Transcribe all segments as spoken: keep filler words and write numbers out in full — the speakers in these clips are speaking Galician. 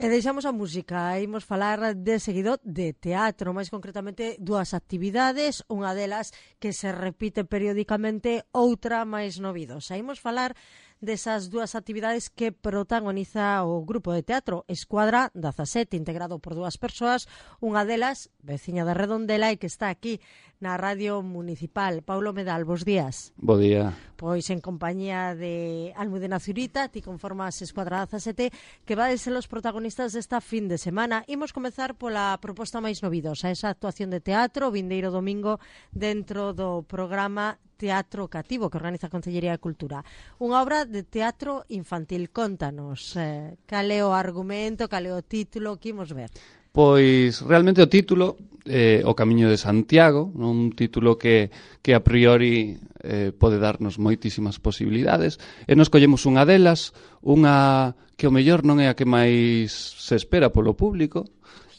E deixamos a música, imos falar de seguido de teatro, máis concretamente dúas actividades, unha delas que se repite periódicamente, outra máis novidosa. Imos falar desas dúas actividades que protagoniza o grupo de teatro Escuadra dezasete, integrado por dúas persoas, unha delas, veciña de Redondela e que está aquí na Radio Municipal. Paulo Medal, bos días. Bo día. Pois en compañía de Almudena Zurita, ti conformas Escuadra dezasete, que vades ser os protagonistas desta fin de semana. Imos comezar pola proposta máis novidosa, esa actuación de teatro, vindeiro domingo, dentro do programa Teatro Cativo, que organiza a Concellería de Cultura. Unha obra de teatro infantil. Contanos, eh, cal é o argumento, cal é o título, que imos ver? Pois realmente o título, eh, O Camiño de Santiago, un título que, que a priori eh, pode darnos moitísimas posibilidades, e nos collemos unha delas, unha que o mellor non é a que máis se espera polo público.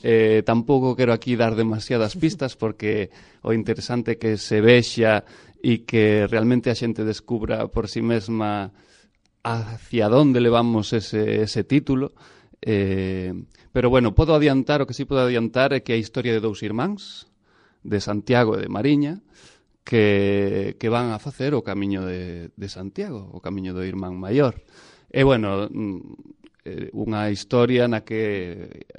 Eh, tampouco quero aquí dar demasiadas pistas porque o interesante é que se vexa e que realmente a xente descubra por si mesma hacia onde levamos ese, ese título. Eh, pero bueno, podo adiantar, o que sí podo adiantar é que a historia de dous irmáns, de Santiago e de Mariña, que, que van a facer o camiño de, de Santiago, o camiño do irmán maior. E bueno, unha historia na que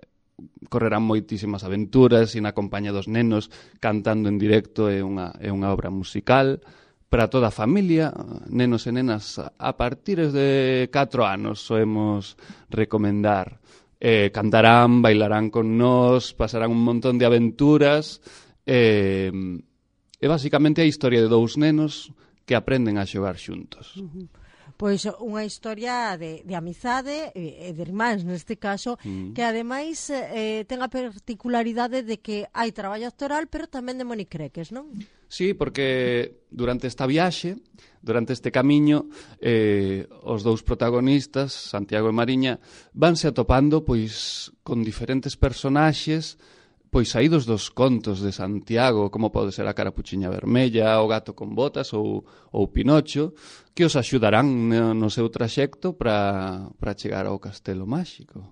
correrán moitísimas aventuras e na compañía dos nenos cantando en directo, é unha, é unha obra musical para toda a familia, nenos e nenas a partir de catro anos soemos recomendar. Eh, cantarán, bailarán con nós, pasarán un montón de aventuras eh, e basicamente a historia de dous nenos que aprenden a xogar xuntos. Uh-huh. Pois unha historia de, de amizade e de irmáns neste caso, mm. que ademais eh, ten a particularidade de que hai traballo actoral, pero tamén de monicreques, non? Sí, porque durante esta viaxe, durante este camiño, eh, os dous protagonistas, Santiago e Mariña, vanse atopando pois con diferentes personaxes pois saídos dos contos de Santiago, como pode ser a Carapuchiña Vermella, o Gato con Botas ou, ou Pinocho, que os axudarán no, no seu traxecto para para chegar ao Castelo Máxico.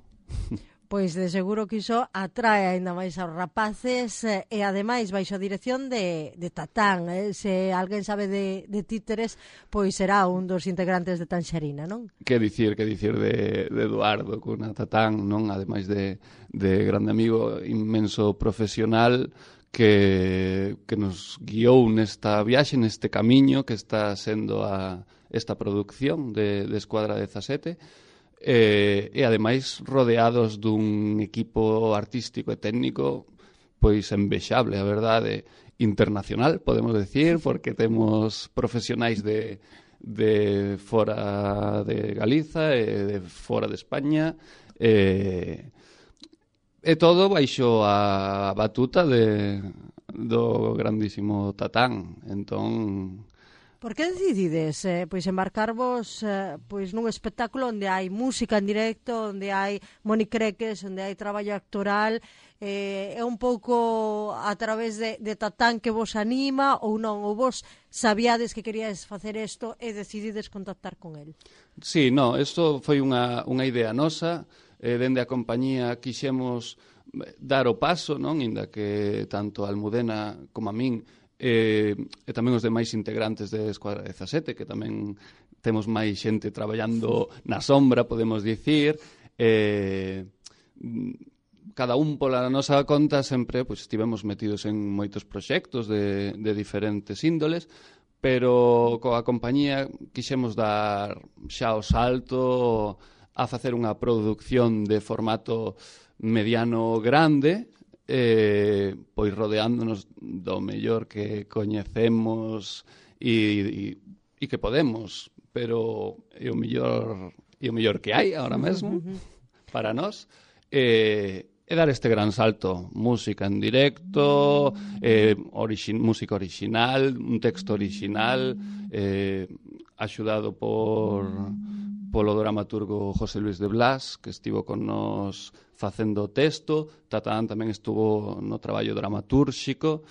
Pois de seguro que iso atrae aínda máis aos rapaces eh, e ademais baixo a dirección de, de Tatán. Eh? Se alguén sabe de, de títeres, pois será un dos integrantes de Tanxerina, non? Que dicir, que dicir de, de Eduardo cunha Tatán, non? Ademais de, de grande amigo, inmenso profesional que, que nos guiou nesta viaxe, neste camiño que está sendo a, esta producción de, de Escuadra dezasete. E, e ademais rodeados dun equipo artístico e técnico pois envexable, a verdade, internacional, podemos decir, porque temos profesionais de, de fora de Galiza e de fora de España, e, e todo baixo a batuta de, do grandísimo Tatán. Entón, por que decidides eh, pois embarcarvos eh, pois nun espectáculo onde hai música en directo, onde hai monicreques, onde hai traballo actoral? Eh, é un pouco a través de, de Tatán que vos anima ou non? Ou vos sabíades que queríades facer isto e decidides contactar con el? Sí, no, isto foi unha, unha idea nosa. Eh, dende a compañía quixemos dar o paso, non? Inda que tanto a Almudena como a min E, e tamén os demais integrantes de Escuadra dezasete, que tamén temos máis xente traballando na sombra, podemos dicir. E, cada un pola nosa conta sempre pois, estivemos metidos en moitos proxectos de, de diferentes índoles, pero coa compañía quixemos dar xa o salto a facer unha produción de formato mediano grande, Eh, pois rodeándonos do mellor que coñecemos e, e, e que podemos, pero é o mellor é o mellor que hai ahora mesmo para nós, eh, e dar este gran salto, música en directo, eh, orixin, música original, un texto original, eh, axudado por polo dramaturgo José Luis de Blas, que estivo con nos facendo o texto. Tatán tamén estuvo no traballo dramatúrxico,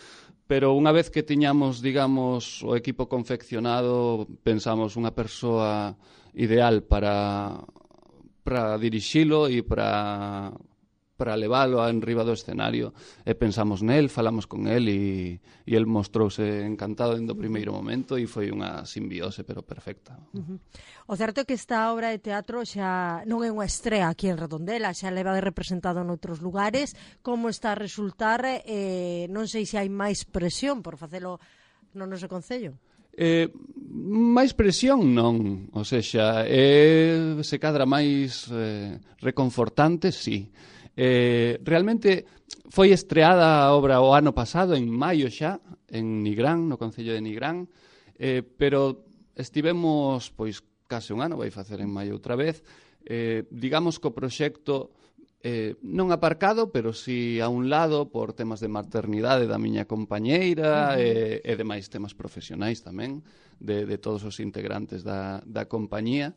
pero unha vez que tiñamos, digamos, o equipo confeccionado, pensamos unha persoa ideal para para dirixilo e para para leválo a enriba do escenario, e pensamos nel, falamos con el e, e el mostrouse encantado dentro do primeiro momento e foi unha simbiose pero perfecta. Uh-huh. O certo é que esta obra de teatro xa non é unha estrea aquí en Redondela, xa leva de representado noutros lugares. Como está a resultar? Eh, non sei se hai máis presión por facelo no noso concello. Eh, máis presión non, ou seja, eh, se cadra máis eh, reconfortante, sí. Eh, realmente foi estreada a obra o ano pasado, en maio xa, en Nigrán, no Concello de Nigrán, eh, pero estivemos, pois, case un ano, vai facer en maio outra vez, eh, digamos que o proxecto eh, non aparcado, pero si a un lado por temas de maternidade da miña compañeira, uh-huh. e, e demais temas profesionais tamén, de, de todos os integrantes da, da compañía,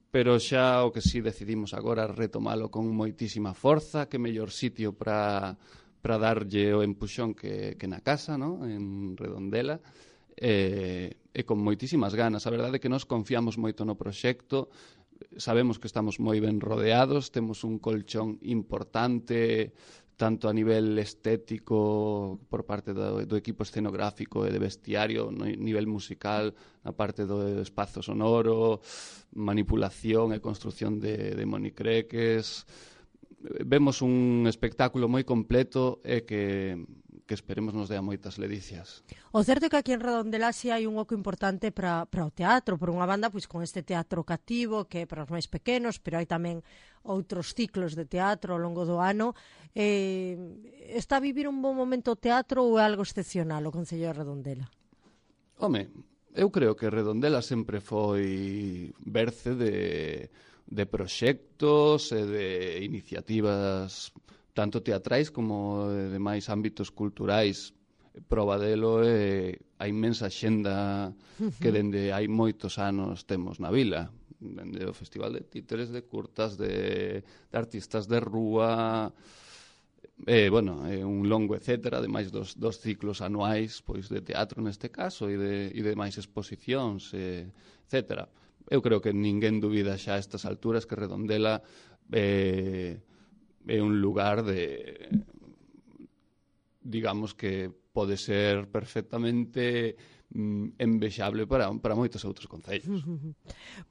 pero xa o que si decidimos agora retomalo con moitísima forza, que mellor sitio para para darlle o empuxón que, que na casa, ¿no? En Redondela, e, e con moitísimas ganas. A verdade é que nos confiamos moito no proxecto, sabemos que estamos moi ben rodeados, temos un colchón importante, tanto a nivel estético por parte do, do equipo escenográfico e de vestiario, no nivel musical, na parte do espazo sonoro, manipulación e construción de, de monicreques. Vemos un espectáculo moi completo e que, que esperemos nos dea moitas ledicias. O certo é que aquí en Redondela si hai un oco importante para, para o teatro, por unha banda, pois con este teatro cativo, que é para os máis pequenos, pero hai tamén outros ciclos de teatro ao longo do ano. Eh, está a vivir un bon momento o teatro ou é algo excepcional o Concello de Redondela? Home, eu creo que Redondela sempre foi berce de, de proxectos e de iniciativas tanto teatrais como de demais ámbitos culturais. Proba delo é a inmensa xenda que dende hai moitos anos temos na vila. Dende o Festival de Títeres, de curtas, de, de artistas de rúa, e, bueno, é un longo etcétera, ademais dos, dos ciclos anuais, pois de teatro neste caso, e de, e de máis exposicións, e, etcétera. Eu creo que ninguén dubida xa a estas alturas que Redondela eh, é un lugar de, digamos que pode ser perfectamente mm, envexable para, para moitos outros concellos.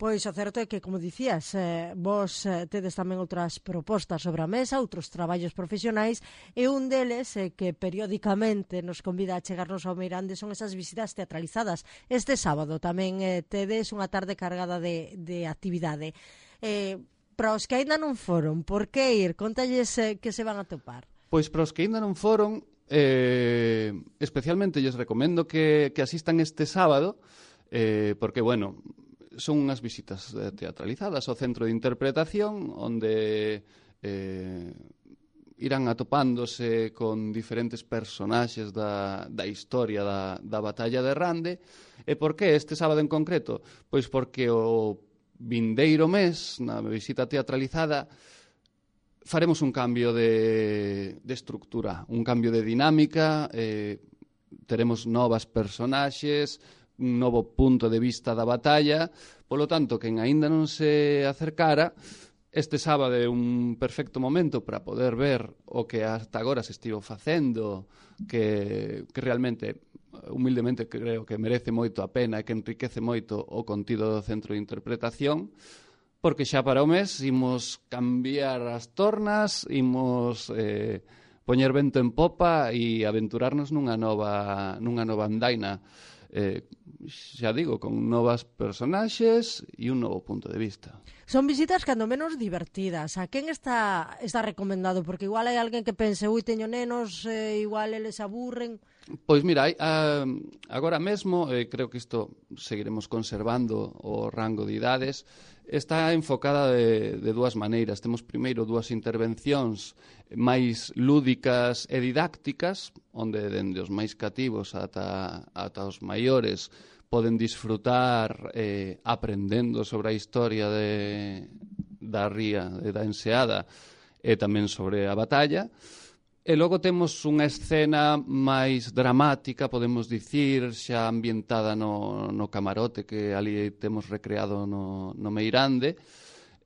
Pois o certo é que, como dicías, eh, vos eh, tedes tamén outras propostas sobre a mesa, outros traballos profesionais, e un deles eh, que periódicamente nos convida a chegarnos ao Meirande son esas visitas teatralizadas. Este sábado tamén eh, tedes unha tarde cargada de, de actividade. Eh, para os que aínda non foron, por que ir? Contalles eh, que se van a topar. Pois para os que aínda non foron, Eh, especialmente lles recomendo que, que asistan este sábado, eh, porque, bueno, son unhas visitas eh, teatralizadas ao Centro de Interpretación, onde eh, irán atopándose con diferentes personaxes da, da historia da, da batalla de Rande. E por que este sábado en concreto? Pois porque o vindeiro mes, na visita teatralizada, faremos un cambio de, de estructura, un cambio de dinámica, eh, teremos novas personaxes, un novo punto de vista da batalla, polo tanto, quen aínda non se acercara, este sábado é un perfecto momento para poder ver o que hasta agora se estivo facendo, que, que realmente, humildemente, creo que merece moito a pena e que enriquece moito o contido do Centro de Interpretación, porque xa para o mes imos cambiar as tornas, imos eh, poñer vento en popa e aventurarnos nunha nova, nunha nova andaina, eh, xa digo, con novas personaxes e un novo punto de vista. Son visitas cando menos divertidas. A quen está, está recomendado? Porque igual hai alguén que pense, ui, teño nenos, eh, igual eles aburren. Pois mira, hai, a, agora mesmo, eh, creo que isto seguiremos conservando o rango de idades, está enfocada de, de dúas maneiras. Temos primeiro dúas intervencións máis lúdicas e didácticas, onde dende os máis cativos ata, ata os maiores poden disfrutar eh, aprendendo sobre a historia de, da ría, de, da enseada, e tamén sobre a batalla. E logo temos unha escena máis dramática, podemos dicir, xa ambientada no, no camarote que ali temos recreado no, no Meirande,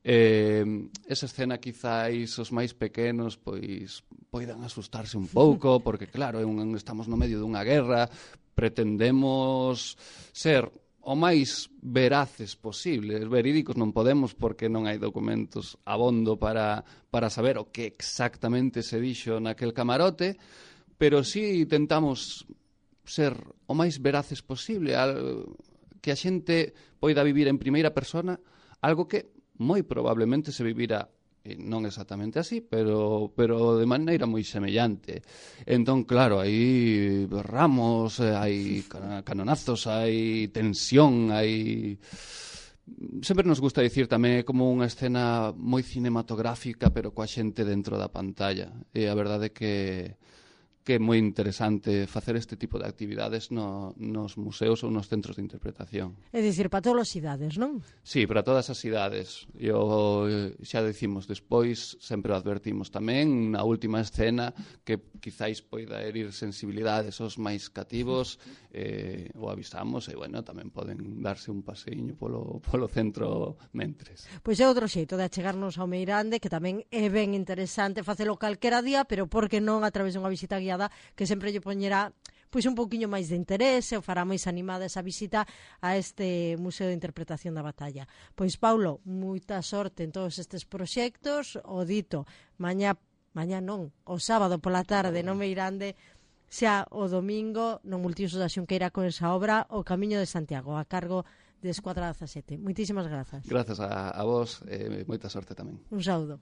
Eh, esa escena quizáis os máis pequenos pois poidan asustarse un pouco, porque claro, é un, estamos no medio dunha guerra, pretendemos ser o máis veraces posible. Verídicos non podemos porque non hai documentos abondo para, para saber o que exactamente se dixo naquel camarote, pero sí tentamos ser o máis veraces posible, que a xente poida vivir en primeira persona algo que moi probablemente se vivira non exactamente así, pero, pero de maneira moi semellante. Entón, claro, hai ramos, hai canonazos, hai tensión, hai... Sempre nos gusta dicir tamén como unha escena moi cinematográfica, pero coa xente dentro da pantalla. E a verdade é que que é moi interesante facer este tipo de actividades no, nos museos ou nos centros de interpretación. É dicir, para todas as idades, non? Sí, para todas as idades. Eu, xa decimos despois, sempre o advertimos tamén, na última escena, que quizáis poida herir sensibilidades aos máis cativos, eh, o avisamos, e, bueno, tamén poden darse un paseiño polo, polo centro mentres. Pois é outro xeito de achegarnos ao Meirande, que tamén é ben interesante facelo calquera día, pero por que non a través dunha visita guiada que sempre lle poñerá pois un pouquiño máis de interese, ou fará máis animada esa visita a este Museo de Interpretación da Batalla. Pois, Paulo, moita sorte en todos estes proxectos, o dito, mañá, mañá non, o sábado pola tarde no Meirande, xa o domingo no Multiusos da Xunqueira con esa obra O Camiño de Santiago, a cargo de Escuadra dezasete. Moitísimas grazas. Grazas a, a vos, e eh, moita sorte tamén. Un saúdo.